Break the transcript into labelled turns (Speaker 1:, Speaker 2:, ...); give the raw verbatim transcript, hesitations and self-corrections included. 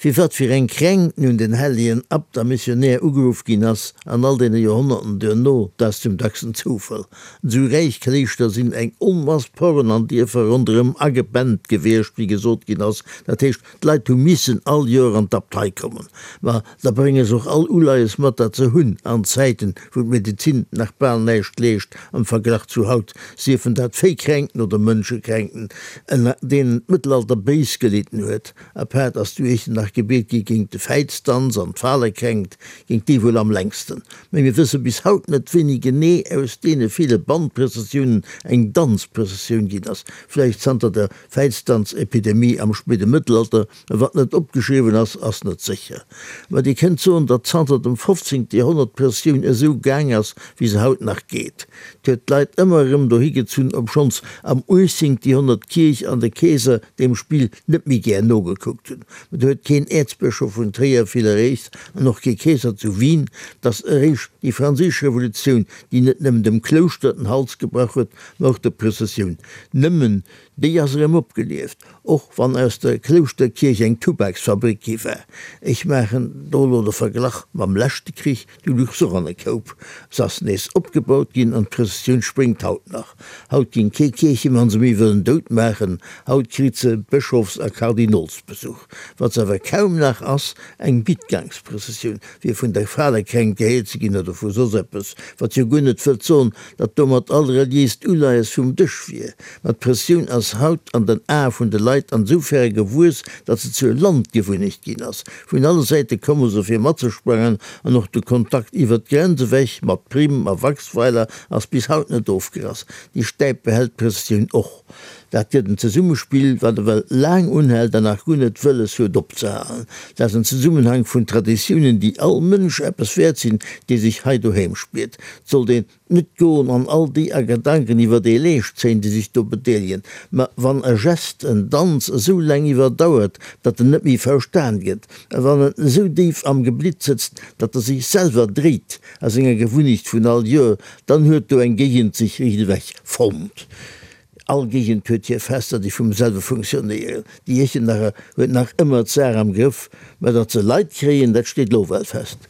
Speaker 1: Fir wat fir eng Kränkt nun den hellegen Abt a Missionär ugeruff ginn ass an all deene Joerhonnerten duerno, dat ass zum dacksten Zoufall. An esou räich Kléischter sinn eng Onmass Porren an Dierfer ronderëm agebennt gewiescht, wéi gesot ginn ass. Dat heescht, d'Leit hu missen all Joer an d'Abtei kommen. Ma da brénge se och all Uleies mat, dat se hunn an Zäiten, wou d'Medezin nach bal näischt leescht am Verglach zu haut, siefen dat Véikränken oder Mënschekränken, ënner deenen d'Mëttelalter béis gelidden huet. Apaart ass du Iechternach gebiet gi géint de Fäizdanz an d'Falekränkt, géint déi wuel am längsten. Mä mir wësse bis haut net, wéini genee aus deene ville Bannprëssessiounen eng Danzprëssessioun ginn ass, vläicht zanter der Fäizdanzepidemie am spéide Mëttelalter, mä wat net opgeschriwwen ass, ass net sécher. Mä Dir kënnt soen, datt zanter dem fofzéngte Joerhonnert d'Prëssessioun esou gaang ass, wéi se haut nach geet. 't huet d'Leit ëmmer erëm dohi gezunn, obschonns am uechtzéngte Joerhonnert d'Kierch an de Keeser deem Spill net méi gär nogekuckt hunn. Mä do huet keen Äerzbëschof vun Tréier vill erreecht an och kee Keeser zu Wien. 't ass eréischt déi franséisch Revolutioun, déi net nëmmen dem Klouschter den Hals gebrach huet, mä och der Prëssessioun. Nëmmen déi ass erëm opgelieft, och wann aus der Klouschterkierch eng Tubaksfabrik gi war. Ech maachen do elo de Verglach mam leschte Krich, du luch s'och an e Koup. Se ass nees opgebaut ginn an d'Prëssessioun spréngt haut nach. Haut géing kee Kierchemann se méi wëllen dout maachen, haut kritt se Bëschofs a Kardinolsbesuch. Wat se awer kaum nach ass, eng Bittgangsprëssessioun, fir vun der Falekränkt geheelt ze ginn oder vu soss eppes, wat jo guer net wëllt soen, datt domat all reliéist Uleies vum Dësch wier. Ma d'Prëssessioun ass haut an den Ae vun de Leit ansoufäre gewuess, datt se zur Landgewunnecht ginn ass. Vun alle Säite komme se fir matzesprangen an och de Kontakt iwwer d'Grenz ewech mat Prim a Waxweiler ass bis haut net ofgerass. Déi Stäip behält d'Prëssessioun och. Dat gëtt en Zesummespill, wat ewell laang unhält an nach guer net wëlles huet opzehalen. Dat ass en Zesummenhank vun Traditiounen, déi all Mënsch eppes wäert sinn, dee sech hei doheem spiert. 't sollt een net goen an all déi a Gedanken iwwer ee Leescht zéien, déi sech do bedeelegen. Mä wann e Gest, en Danz esou laang iwwerdauert, datt en net méi verstan gëtt, a wann en esou déif am Geblitt sëtzt, datt e sech selwer dréit a senger Gewunnecht vun all Joer, dann huet do eng Géigend sech riichtewech fonnt. All Géigend huet hir Fester, déi vum selwe funktionéieren. Déi Iechternacher huet nach ëmmer d'Saach am Grëff, mä datt se Leit kréien, dat steet lo well fest.